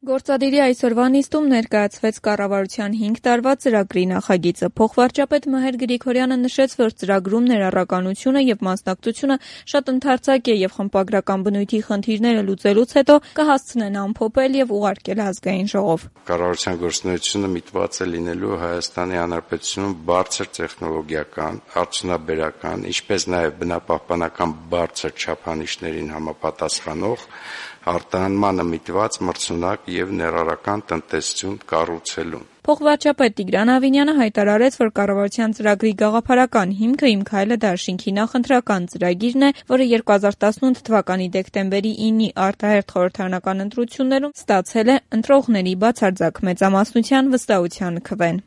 Գործադիրի այսօրվա նիստում ներկայացվեց կառավարության 5 տարվա ծրագրի նախագիծը։ Փոխվարչապետ Մհեր Գրիգորյանը նշեց, որ ծրագրում ներառականությունը եւ մասնակցությունը շատ ընդարձակ է եւ խմբագրական բնույթի խնդիրները լուծելուց հետո կհասցնեն ամփոփել եւ ուղարկել ազգային ժողով։ Կառավարության գործունեությունը միտված է լինելու Հայաստանի Հանրապետությունում բարձր տեխնոլոգիական, արդյունաբերական, ինչպես նաեւ բնապահպանական բարձր չափանիշներին համապատասխանող արտահանմանը միտված մրցունակ եւ ներառական տնտեսություն կառուցելուն։ Փոխվարչապետ Տիգրան Ավինյանը հայտարարեց, որ կառավարության ծրագրի գաղափարական հիմքը «Իմ քայլը» դաշինքի նախընտրական ծրագիրն է, որը 2018 թվականի դեկտեմբերի 9-ի արտահերթ խորհրդարանական ընտրություններում ստացել է ընտրողների բացարձակ մեծամասնության վստահության քվեն։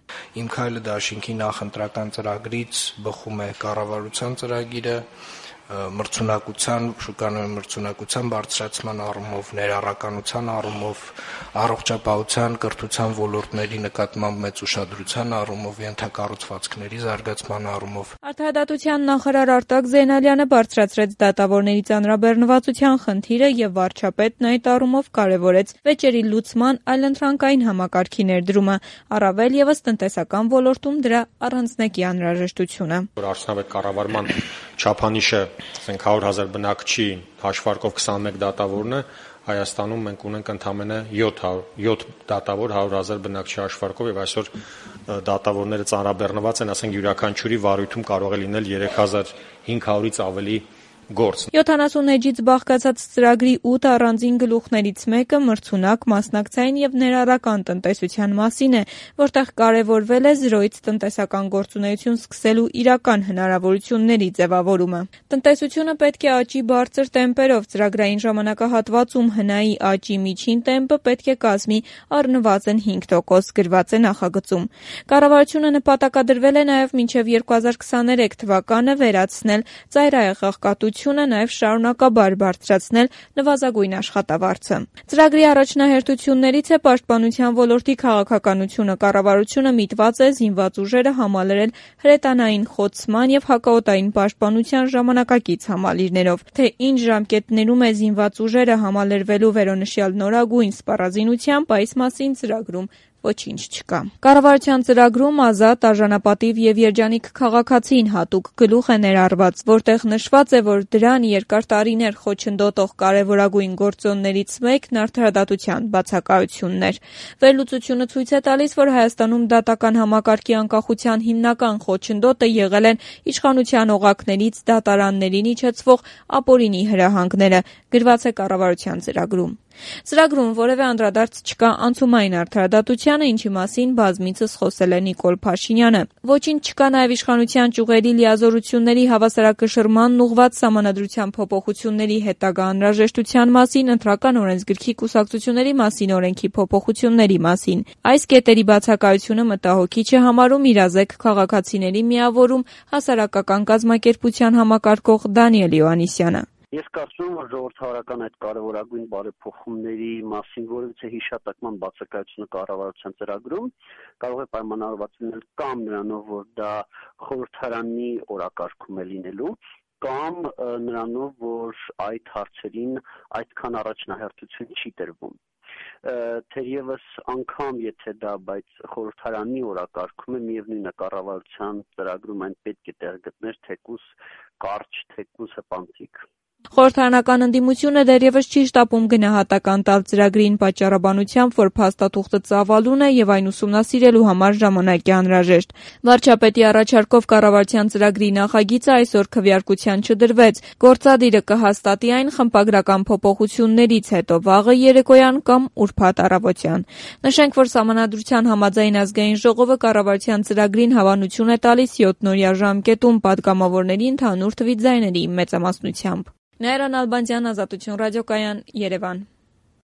«Իմ քայլը» դաշինքի նախընտրական ծրագրից բխում է կառավարության ծրագիրը, շուկանոյի մրցունակության բարձրացման առումով, ներառականության առումով, առողջապահության, կրթության ոլորտների նկատմամբ մեծ ուշադրության առումով, ենթակառուցվածքների զարգացման առումով։ Արդարադատության նախարար Արտակ Զեյնալյանը բարձրացրեց դատավորների ծանրաբեռնվածության խնդիրը եւ վարչապետն այդ առումով կարեւորեց վեճերի լուծման այլընտրանքային համակարգի ներդրումը, առավել եւս տնտեսական ոլորտում դրա առանձնակի անհրաժեշտությունը։ Արդյունավետ կառավարման չափանիշը 100,000 բնակչի հաշվարկով 21 դատավորն է, Հայաստանում մենք ունենք ընդամենը 7 դատավոր 100,000 բնակչի հաշվարկով եւ այսօր դատավորները ծանրաբեռնված են, ասենք յուրաքանչյուրի վարույթում կարող է լինել 3500-ից ավելի գործ։ 70 էջից բաղկացած ծրագրի 8 առանձին գլուխներից մեկը մրցունակ, մասնակցային եւ ներառական տնտեսության մասին է, որտեղ կարեւորվել է զրոյից տնտեսական գործունեություն սկսելու իրական հնարավորությունների ձևավորումը։ Տնտեսությունը պետք է աճի բարձր տեմպերով, ծրագրային ժամանակահատվածում հնայի աճի միջին տեմպը պետք է կազմի առնվազն 5%, գրված է նախագծում։ Կառավարությունը նպատակադրվել է նաեւ մինչեւ 2023 թվականը վերացնել ծայրահեղաղկատությունը, նաև շարունակաբար բարձրացնել նվազագույն աշխատավարձը։ Ծրագրի առաջնահերթություններից է պաշտպանության ոլորտի քաղաքականությունը։ Կառավարությունը միտված է զինված ուժերը համալրել հրետանային խոցման եւ հակաօդային պաշտպանության ժամանակակից համալիրներով։ Թե ինչ ժամկետներում է զինված ուժերը համալրվելու վերոնշյալ նորագույն սպառազինությամբ, այս մասին ծրագրում ոչինչ չկա։ Կառավարության ծրագրում ազատ, արժանապատիվ եւ երջանիկ քաղաքացին հատուկ գլուխ է ներառված, որտեղ նշված է, որ դրան երկար տարիներ խոչընդոտող կարևորագույն գործոններից մեկն արդարադատության բացակայությունն էր։ Վերլուծությունը ցույց է տալիս, որ Հայաստանում դատական համակարգի անկախության հիմնական խոչընդոտը եղել են իշխանության օղակներից դատարաններին իջեցվող ապօրինի հրահանգները, գրված է կառավարության ծրագրում։ Ծրագրում որևէ անդրադարձ չկա անցումային արդարադատությանը, ինչի մասին բազմիցս խոսել է Նիկոլ Փաշինյանը։ Ոչինչ չկա նաև իշխանության ճյուղերի լիազորությունների հավասարակշռմանն ուղղված սահմանադրության փոփոխությունների հետագա անհրաժեշտության մասին, ընտրական օրենսգրքի կուսակցությունների մասին օրենքի փոփոխությունների մասին։ Այս կետերի բացակայությունը մտահոգիչ է համարում իրազեկ քաղաքացիների միավորում հասարակական կազմակերպության համակարգող Դանիել Յոհաննիսյանը։ Ես կարծում եմ, որ ժողովրդավարական այդ կարևորագույն բարեփոխումների մասին որևիցե հիշատակման բացակայությունը կառավարության ծրագրում կարող է պայմանավորված լինել կամ նրանով, որ դա խորհրդարանի օրակարգում է լինելու, կամ նրանով, որ այդ հարցերին այդքան առաջնահերթություն չի տրվում։ Թերևս անգամ եթե դա բայց խորհրդարանի օրակարգում է, միևնույն է կառավարության ծրագրում այն պետք է տեղ գտներ թեկուզ կարճ, թեկուզ հպանցիկ։ Խորհրդարանական ընդդիմությունը դեռևս չի շտապում գնահատական տալ ծրագրին պատճառաբանությամբ, որ փաստաթուղթը ծավալուն է եւ այն ուսումնասիրելու համար ժամանակ է անհրաժեշտ։ Վարչապետի առաջարկով կառավարության ծրագրի նախագիծը այսօր քվեարկության չդրվեց։ Գործադիրը կհաստատի այն խմբագրական փոփոխություններից հետո վաղը երեկոյան կամ ուրբաթ առավոտյան։ Նշենք, որ Սահմանադրության համաձայն ազգային ժողովը կառավարության ծրագրին հավանություն է տալիս 7-օրյա ժամկետում պատգամավորների ընդհանուր թվի ձայների մեծամասնությամբ։ Նայիրան Ալբանդյան, Ազատություն ռադիոկայան, Երևան։